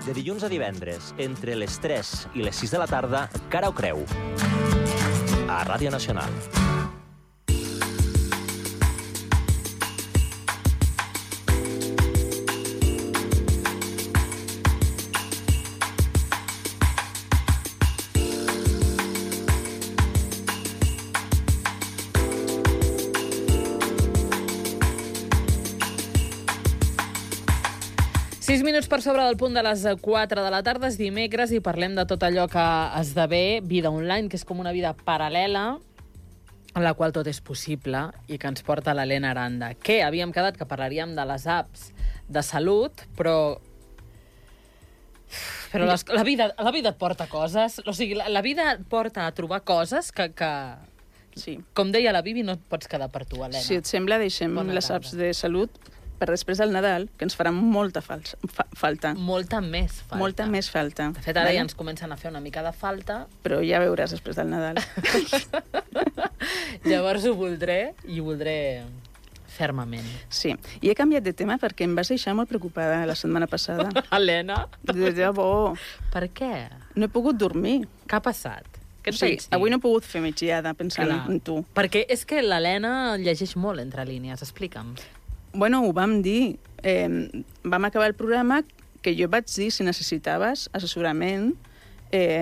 De dilluns a divendres, entre les 3 i les 6 de la tarda, Cara o Creu, a Ràdio Nacional. Minuts per sobre del punt de les 4 de la tarda, és dimecres i parlem de tot allò que esdevé vida online, que és com una vida paral·lela en la qual tot és possible i que ens porta l'Helena Aranda. Que havíem quedat que parlaríem de les apps de salut, però la vida et porta coses, o sigui, la vida et porta a trobar coses que sí. Com deia la Bibi, no et pots quedar per tu, Helena. Si et sembla, deixem les apps de salut per després del Nadal, que ens farà molta falta. Molta més falta. Molta més falta. De fet, ara ja ens comencen a fer una mica de falta. Però ja veuràs després del Nadal. Llavors ho voldré, i ho voldré fermament. Sí. I he canviat de tema perquè em vas deixar molt preocupada la setmana passada. Helena? De debò. Per què? No he pogut dormir. Què ha passat? Què et Sí, avui no he pogut fer migdiada pensant en tu. Perquè és que l'Helena llegeix molt entre línies. Explica'm. Bueno, ho vam dir. Vam acabar el programa que jo vaig dir si necessitaves assessorament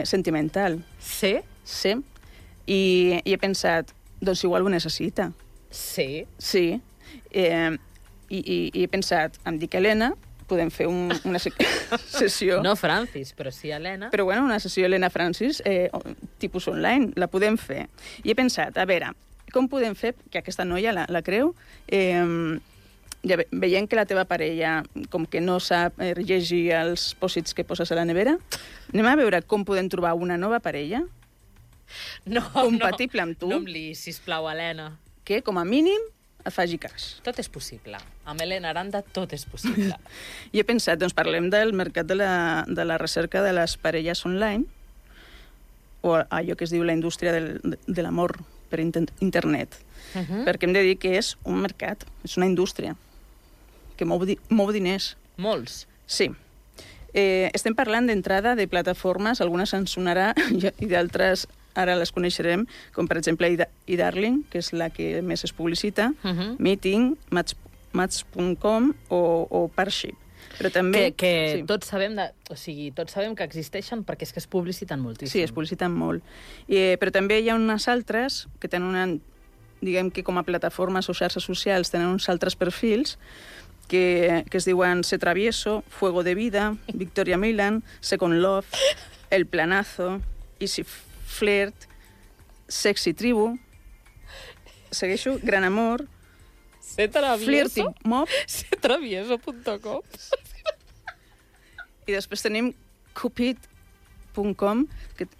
sentimental. Sí? Sí. I he pensat, doncs igual ho necessita. Sí? Sí. I he pensat, em dic Helena, podem fer una sessió... No Francis, però sí Helena. Però bueno, una sessió Helena Francis, tipus online, la podem fer. I he pensat, a veure, com podem fer que aquesta noia, la Creu, ja veient que la teva parella com que no sap llegir els pòsits que poses a la nevera, anem a veure com podem trobar una nova parella compatible amb tu. No em liïs, sisplau, Helena. Que, com a mínim, et faci cas. Tot és possible. Amb Helena Aranda tot és possible. I he pensat, doncs parlem del mercat de la recerca de les parelles online, o allò que es diu la indústria de l'amor per internet. Perquè hem de dir que és un mercat, és una indústria que mou diners. Molts? Sí. Estem parlant d'entrada de plataformes, algunes ens sonarà i d'altres ara les coneixerem, com per exemple iDarling, que és la que més es publicita, Meeting, Match.com o Parship. Però també... Que tots sabem tots sabem que existeixen perquè és que es publiciten moltíssim. Sí, es publiciten molt. Però també hi ha unes altres que tenen diguem que com a plataformes o xarxes socials tenen uns altres perfils que es diuen Se Travieso, Fuego de Vida, Victoria Milan, Second Love, El Planazo, Easy Flirt, Sexy Tribu, segueixo, Gran Amor, Se Travieso? Flirting Mob, setravieso.com. I després tenim Cupid.com,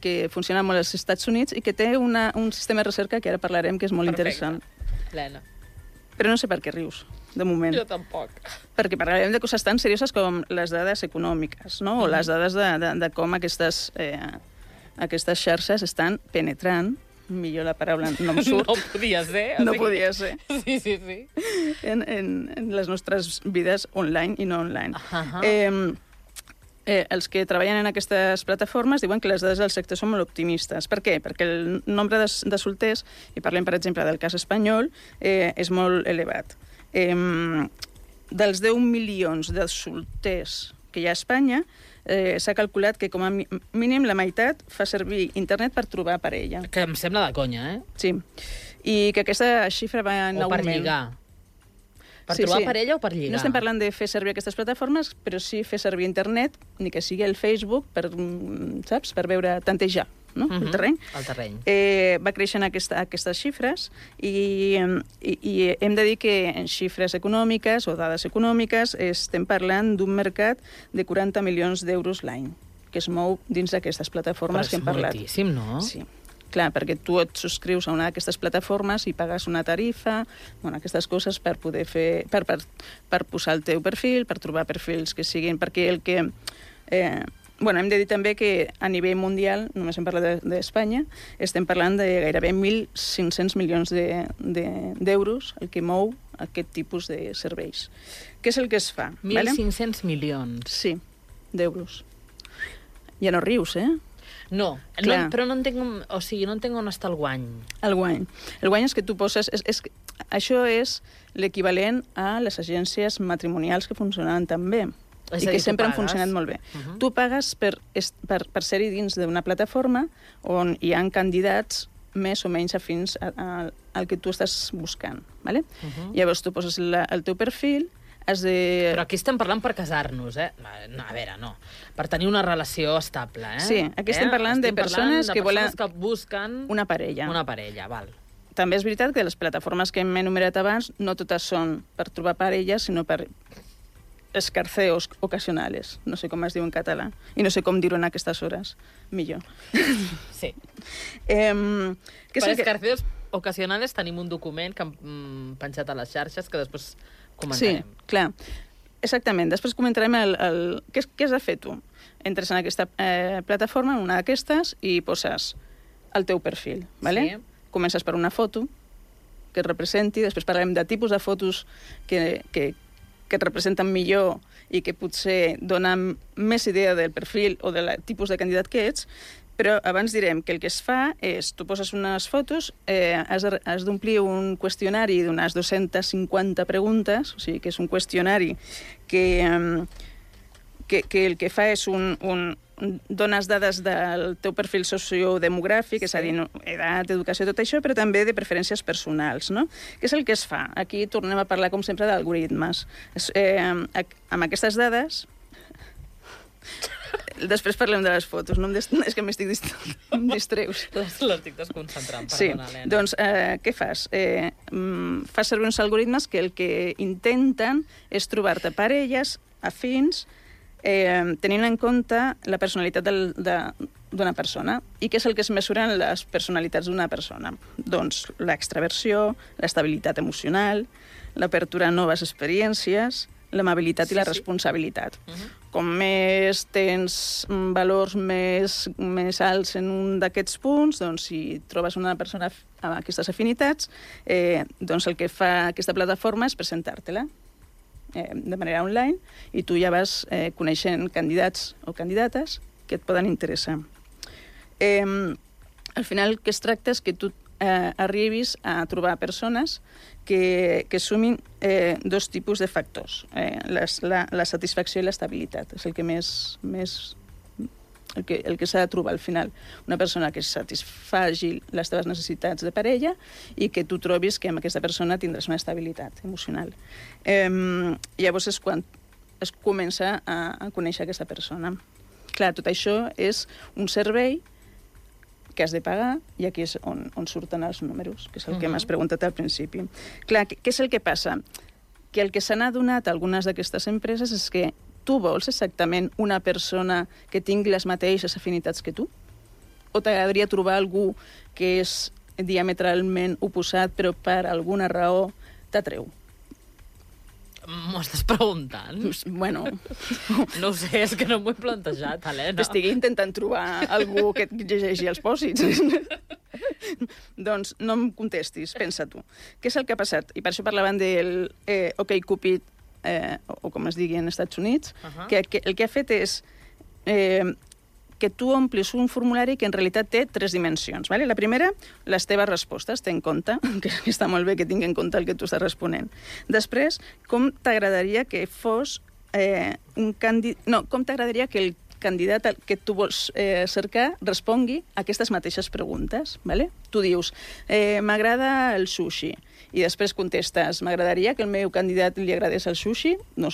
que funciona molt als Estats Units i que té un sistema de recerca que ara parlarem, que és molt interessant. Helena. Però no sé per què rius, de moment. Jo tampoc. Perquè parlarem de coses tan serioses com les dades econòmiques, no? O les dades de com aquestes xarxes estan penetrant, millor la paraula no em surt. No podia ser. No podia ser. Sí. En les nostres vides online i no online. Els que treballen en aquestes plataformes diuen que les dades del sector són molt optimistes. Per què? Perquè el nombre de solters, i parlem, per exemple, del cas espanyol, és molt elevat. Dels 10 milions de solters que hi ha a Espanya, s'ha calculat que com a mínim la meitat fa servir internet per trobar parella. Que em sembla de conya, Sí. I que aquesta xifra va en augment. O per lligar. Per trobar parella o per lligar? No estem parlant de fer servir aquestes plataformes, però sí fer servir internet, ni que sigui el Facebook, per veure, tantejar, no? El terreny. El terreny. Va creixent aquestes xifres i hem de dir que en xifres econòmiques o dades econòmiques estem parlant d'un mercat de 40 milions d'euros l'any, que es mou dins d'aquestes plataformes que hem parlat. Però és moltíssim, no? Sí. Clar, perquè tu et subscrius a una d'aquestes plataformes i pagues una tarifa, aquestes coses per poder fer, per posar el teu perfil, per trobar perfils que siguin, perquè el que... hem de dir també que a nivell mundial, només hem parlat d'Espanya, estem parlant de gairebé 1.500 milions d'euros el que mou aquest tipus de serveis. Què és el que es fa? 1.500 milions. Sí. d'euros. Ja no rius, No, però no entenc, o sigui, no entenc on està el guany. El guany. El guany és que tu poses... Això és l'equivalent a les agències matrimonials que funcionaven tan bé. I que sempre han funcionat molt bé. Tu pagues per ser-hi dins d'una plataforma on hi ha candidats més o menys afins al que tu estàs buscant. ¿Vale? Llavors tu poses el teu perfil, has de... Però aquí estem parlant per casar-nos, No, a veure, no. Per tenir una relació estable, Sí, aquí estem parlant de persones que volen... que busquen... Una parella. Una parella, val. També és veritat que les plataformes que hem enumerat abans no totes són per trobar parelles, sinó per escarceos ocasionales. No sé com es diu en català. I no sé com dir-ho en aquestes hores. Millor. Sí. Per escarceos ocasionales tenim un document que hem penjat a les xarxes que després comentarem. Sí, clar. Exactament. Després comentarem què has de fer tu. Entres en aquesta plataforma, en una d'aquestes, i poses el teu perfil. ¿Vale? Sí. Comences per una foto que et representi, després parlarem de tipus de fotos que et representen millor i que potser donen més idea del perfil o del tipus de candidat que ets, però abans direm que el que es fa és, tu poses unes fotos, has d'omplir un qüestionari d'unes 250 preguntes, o sigui que és un qüestionari que el que fa és dones dades del teu perfil sociodemogràfic, és a dir, edat, educació, tot això, però també de preferències personals, no? Què és el que es fa? Aquí tornem a parlar, com sempre, d'algoritmes. Amb aquestes dades... Després parlem de les fotos, no és que em distreus. L'estic desconcentrant, perdona, sí. Helena. Doncs què fas? Fas servir uns algoritmes que el que intenten és trobar-te parelles afins tenint en compte la personalitat d'una persona. I què és el que es mesuren les personalitats d'una persona? Doncs l'extraversió, l'estabilitat emocional, l'apertura a noves experiències, l'amabilitat i la responsabilitat. Com més tens valors més alts en un d'aquests punts, doncs si trobes una persona amb aquestes afinitats, doncs el que fa aquesta plataforma és presentar-te-la de manera online i tu ja vas coneixent candidats o candidates que et poden interessar. Al final el que es tracta és que tu arribis a trobar persones que sumin dos tipus de factors, la satisfacció i l'estabilitat. És el que el que s'ha de trobar al final. Una persona que satisfagi les teves necessitats de parella i que tu trobis que amb aquesta persona tindràs una estabilitat emocional. Llavors és quan es comença a conèixer aquesta persona. Clar, tot això és un servei que has de pagar i aquí és on surten els números, que és el que m'has preguntat al principi. Clar, què és el que passa? Que el que s'han adonat algunes d'aquestes empreses és que tu vols exactament una persona que tingui les mateixes afinitats que tu? O t'agradaria trobar algú que és diametralment oposat però per alguna raó t'atreu? M'ho estàs preguntant? Bueno... No ho sé, és que no m'ho he plantejat, Helena. T'estic intentant trobar algú que et llegeixi els pòsits. Doncs no em contestis, pensa tu. Què és el que ha passat? I per això parlaven del OkCupid, o com es digui en Estats Units, que el que ha fet és que tu omplis un formulari que en realitat té 3 dimensions. Vale? La primera, les teves respostes, ten en compte, que està molt bé que tingui en compte el que tu estàs responent. Després, com t'agradaria que fos com t'agradaria que el candidat que tu vols cercar respongui a aquestes mateixes preguntes. Vale? Tu dius, m'agrada el sushi, i després contestes, m'agradaria que el meu candidat li agradés el sushi? No,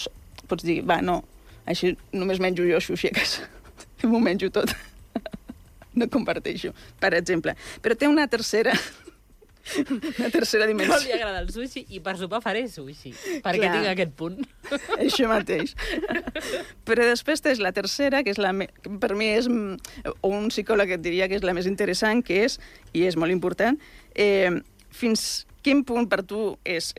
pots dir, no, així només menjo jo sushi a casa. M'ho menjo tot. No comparteixo, per exemple. Però té una tercera dimensió. No li agrada el sushi i per sopar faré sushi, perquè tinc aquest punt. Això mateix. Però després tens la tercera, que és per mi és, o un psicòleg et diria que és la més interessant, que és, i és molt important, fins quin punt per tu és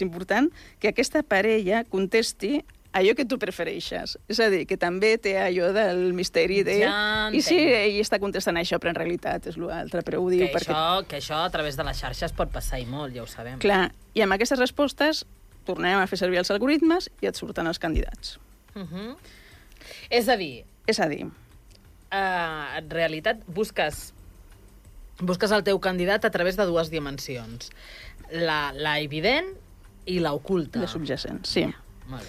important que aquesta parella contesti allò que tu prefereixes. És a dir, que també té allò del misteri de... I sí, ell està contestant això, però en realitat és l'altre, però ho diu perquè... Que això a través de les xarxes pot passar i molt, ja ho sabem. Clar, i amb aquestes respostes tornem a fer servir els algoritmes i et surten els candidats. És a dir, en realitat busques el teu candidat a través de dues dimensions. La evident i l'oculta. La subjacent, sí. Molt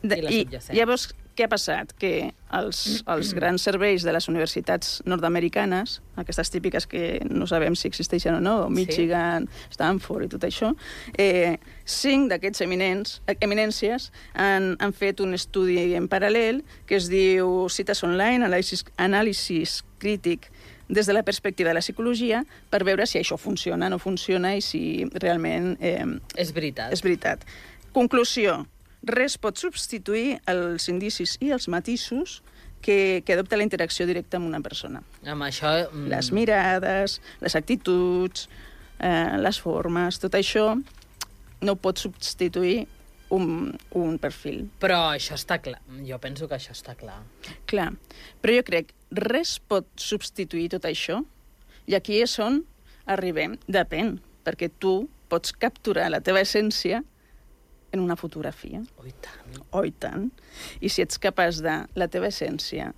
bé. I la subjacent. Llavors, què ha passat? Que els grans serveis de les universitats nord-americanes, aquestes típiques que no sabem si existeixen o no, Michigan, Stanford i tot això, 5 d'aquests eminències han fet un estudi en paral·lel que es diu Cites Online, anàlisis crític des de la perspectiva de la psicologia, per veure si això funciona o no funciona i si realment és veritat. És veritat. Conclusió. Res pot substituir els indicis i els matisos que adopta la interacció directa amb una persona. Amb això... Les mirades, les actituds, les formes, tot això no pot substituir un perfil. Però això està clar. Jo penso que això està clar. Clar. Però jo crec res pot substituir tot això i aquí és on arribem. Depèn, perquè tu pots capturar la teva essència en una fotografia. Oh, i tant. Oh, i tant. I si ets capaç de la teva essència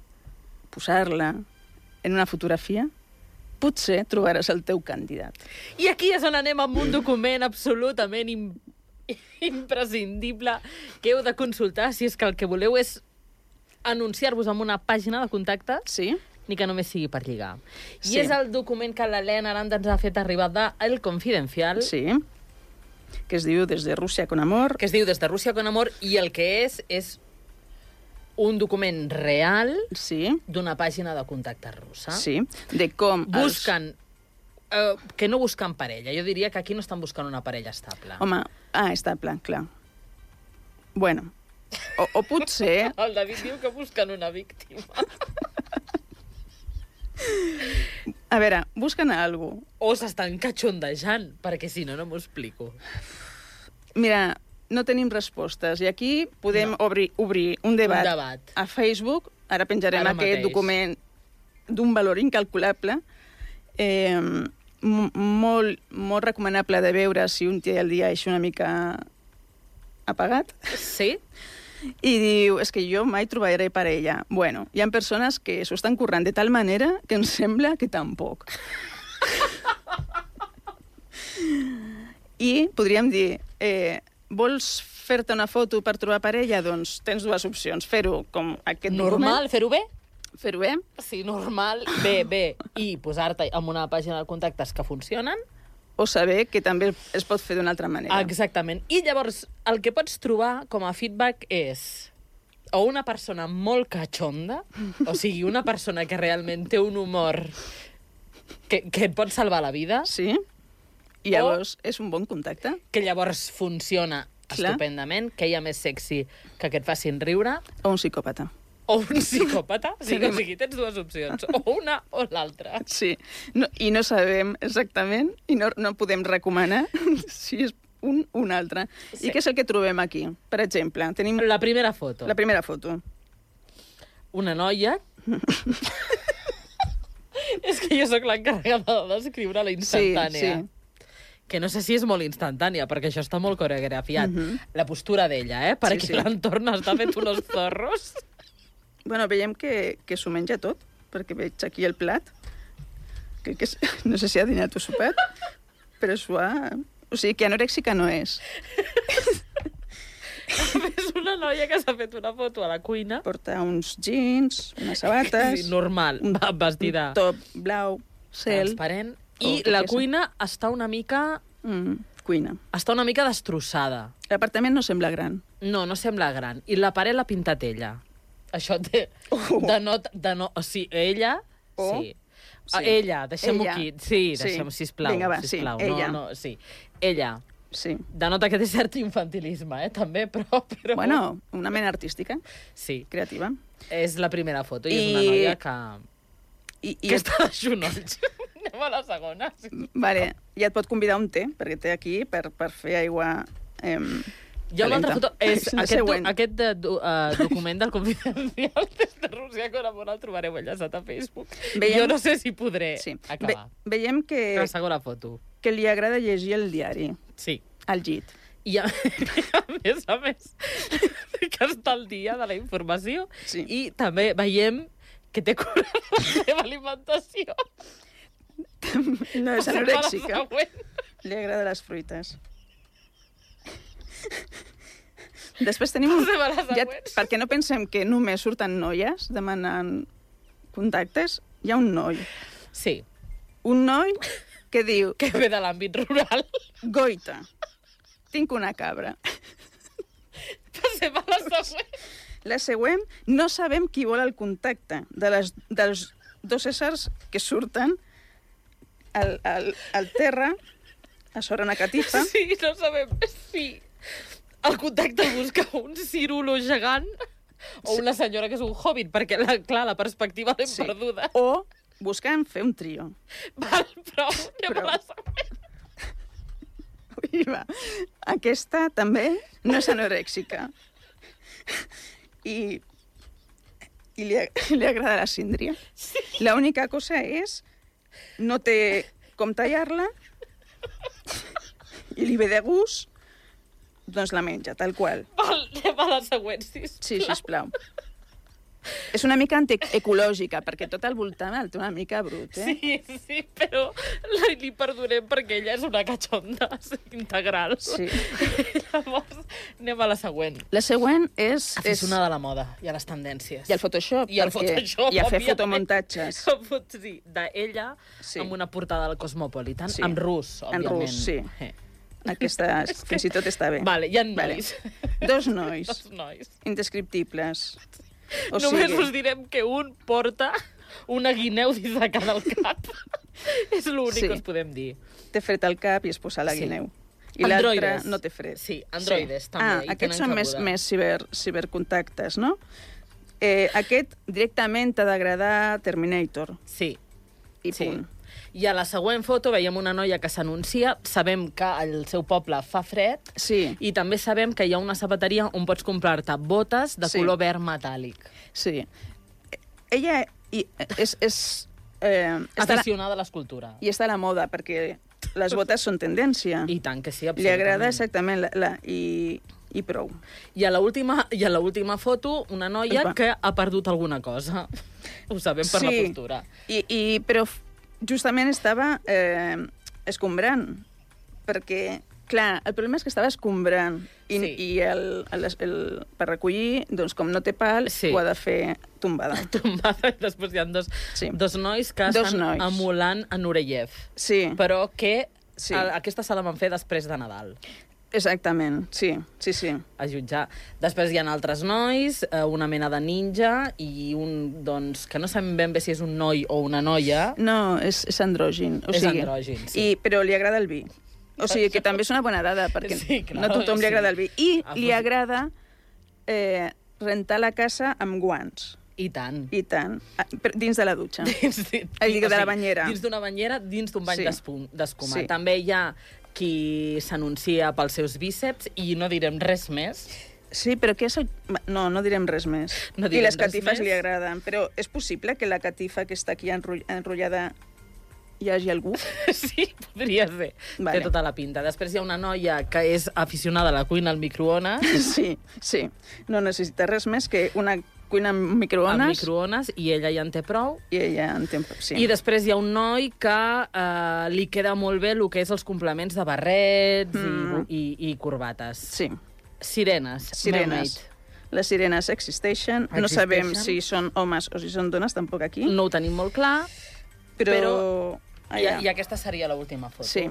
posar-la en una fotografia, potser trobaràs el teu candidat. I aquí és on anem amb un document absolutament imprescindible que heu de consultar si és que el que voleu és anunciar-vos en una pàgina de contactes, Sí? ni que només sigui per lligar. Sí. I és el document que l'Helena Aranda ens ha fet arribar de El Confidencial, Sí. Que es diu Des de Rússia con Amor. que es diu Des de Rússia con Amor, i el que és un document real Sí, d'una pàgina de contactes russa. sí. De com... Busquen... que no busquen parella. Jo diria que aquí no estan buscant una parella estable. Home, estable, clar. Bueno, o potser... El David diu que busquen una víctima. A veure, busquen algú. O s'estan catxondejant, perquè si no, no m'ho explico. Mira, no tenim respostes i aquí podem obrir un debat. Un debat. A Facebook. Ara penjarem Ara aquest mateix. document d'un valor incalculable. Molt recomanable de veure si un té el dia així una mica apagat. Sí? I diu, és que jo mai trobaré parella. Bueno, hi ha persones que s'ho estan currant de tal manera que em sembla que tampoc. I podríem dir, vols fer-te una foto per trobar parella? Doncs tens dues opcions. Fer-ho com aquest Normal, fer-ho bé? document. Fer-ho bé. Sí, normal, bé, i posar-te en una pàgina de contactes que funcionen. O saber que també es pot fer d'una altra manera. Exactament. I llavors, el que pots trobar com a feedback és o una persona molt catxonda, o sigui, una persona que realment té un humor que et pot salvar la vida, Sí. I llavors és un bon contacte. que llavors funciona Clar. estupendament, que hi ha més sexy que et facin riure, O un psicòpata. o un psicòpata. O sigui, tens dues opcions, o una o l'altra. Sí. No, I no sabem exactament, i no podem recomanar si és un altre. Sí. I què és el que trobem aquí? Per exemple, tenim La primera foto. la primera foto. Una noia... És que jo sóc l'encarregada de descriure la instantània. Sí. Que no sé si és molt instantània, perquè això està molt coreografiat. La postura d'ella, per Sí, aquí sí. l'entorn està fet unos zorros. Bueno, veiem que s'ho menja tot, perquè veig aquí el plat. Crec que no sé si ha dinat o sopat, però s'ho ha... O sigui, que anorèxica no és. És una noia que s'ha fet una foto a la cuina. Porta uns jeans, unes sabates... Sí, normal, vestida Un top blau, cel... transparent. Oh, I què la és? cuina està una mica cuina. destrossada. L'apartament no sembla gran. No, no sembla gran. I la paret l'ha pintat ella. Això té... O sigui, ella... Oh. Sí. Sí. Ella, deixem-ho Ella. aquí. Sí, Sí. deixem, sisplau. Vinga, va, sí, sisplau. ella. No, sí. Ella. Sí. Denota que té cert infantilisme, també, però... Bueno, una mena artística, Sí, creativa. és la primera foto i és I- una noia que... I Que està de xunolls. Anem a la segona. Sí. Vale, ja et pot convidar un té, perquè té aquí per fer aigua Hi ha una altra foto. És La següent. aquest document del Confidencial des de Rússia con Amor el trobareu enllaçat a Facebook. Veiem- Jo no sé si podré Sí. acabar. Veiem La segona foto. que li agrada llegir el diari Sí. al llit. I a més, que està al dia de la informació. Sí. I també veiem que té cura de la seva alimentació. No és Passem a la anorèxica. següent. Li agrada les fruites. Després tenim Passem a la següent. perquè no pensem que només surten noies demanant contactes, hi ha un noi. Sí, Un noi que diu, que ve de l'àmbit rural. goita, tinc una cabra. Passem a la següent. La següent, no sabem qui vol el contacte dels dos éssers que surten al terra, a sobre una catifa. Sí, no sabem si el contacte busca un cirulo gegant o una senyora que és un hobbit, perquè, clar, la perspectiva l'hem perduda. O buscant fer un trio. Val, prou, anem a la següent. Ui, va. Aquesta també no és anorèxica. I li agrada la síndria. Sí. L'única cosa és no té com tallar-la i li ve de gust, doncs la menja, tal qual. Val, anem a la següent, sisplau. Sí, sisplau. És una mica antiecològica, perquè tot al voltant el té una mica brut, eh? Sí, però li perdonem perquè ella és una cachonda integral. Sí. Llavors, anem a la següent. La següent és... Aficionada a la moda i a les tendències. I al Photoshop. I al perquè- Photoshop, I a fer òbviament. fotomuntatges. Sí, d'ella, Sí. amb una portada del Cosmopolitan, Sí. en rus, En òbviament. rus, sí. Aquesta fins i tot està bé. Vale, hi ha nois. Dos nois Dos nois. indescriptibles. O Només sigui, us direm que un porta una guineu dins de cada al cap. És l'únic Sí. que us podem dir. té fred al cap i es posa la Sí. guineu. I l'altre Androides. no té fred. Sí, androides també, hi Aquests tenen són més, cabuda. més cibercontactes, no? Aquest directament t'ha d'agradar Terminator. Sí, I sí. punt. I a la següent foto veiem una noia que s'anuncia, sabem que al seu poble fa fred, Sí, i també sabem que hi ha una sabateria on pots comprar-te botes de Sí. color verd metàl·lic. sí. Ella és està Aficionada a l'escultura. i està a la moda, perquè les botes són tendència. I tant que sí, Li absolutament. agrada exactament i prou. I a l'última foto, una noia Epa. que ha perdut alguna cosa. Ho sabem per la postura. Però justament estava escombrant, perquè, clar, el problema és que estava escombrant i, Sí. i per recollir, doncs com no té pal, Sí. ho ha de fer tombada. Tombada, i després hi ha Sí. dos nois que Dos estan nois. emulant a Nureyev, Sí, però que Sí. aquesta se la van fer després de Nadal, exactament, sí. a jutjar. Després hi ha altres nois, una mena de ninja i un, doncs, que no sabem ben bé si és un noi o una noia. No, és andrògin. És andrògin, sí. Però li agrada el vi. O sigui, que també és una bona dada, perquè Sí, clar, no a tothom li sí. agrada el vi. I li Aprofit- agrada rentar la casa amb guants. I tant. I tant. Dins de la dutxa. De la banyera. Dins d'una banyera, dins d'un bany Sí. d'escuma. Sí. També hi ha qui s'anuncia pels seus bíceps i no direm res més. Sí, però què és el... No direm res més. No I direm les res catifes més. li agraden, però és possible que la catifa que està aquí enrotllada hi hagi algú? Sí, podria ser. Vale. Té tota la pinta. Després hi ha una noia que és aficionada a la cuina al microones, Sí. No necessita res més que una cuina amb microones, al microones, i ella ja en té prou. i ella en té... Sí. I després hi ha un noi que li queda molt bé el que és els complements de barrets i corbates. Sí. Sirenes. Sirenes. Les sirenes existeixen. No sabem Existeixen. si són homes o si són dones, tampoc aquí. No ho tenim molt clar, però... i aquesta seria l'última foto. Sí.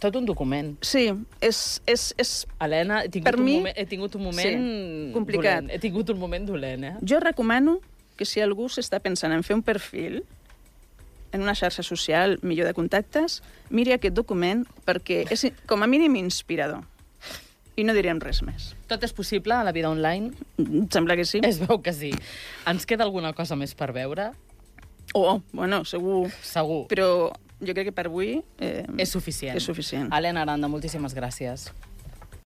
Tot un document. Sí, és... Helena, Per mi, he tingut un moment sí, complicat. dolent. He tingut un moment dolent, eh? Jo recomano que si algú s'està pensant en fer un perfil en una xarxa social, millor de contactes, miri aquest document perquè és com a mínim inspirador. I no direm res més. Tot és possible a la vida online? Em sembla que sí. Es veu que sí. Ens queda alguna cosa més per veure? Bueno, segur. Segur. Però jo crec que per avui... És suficient. És suficient. Helena Aranda, moltíssimes gràcies.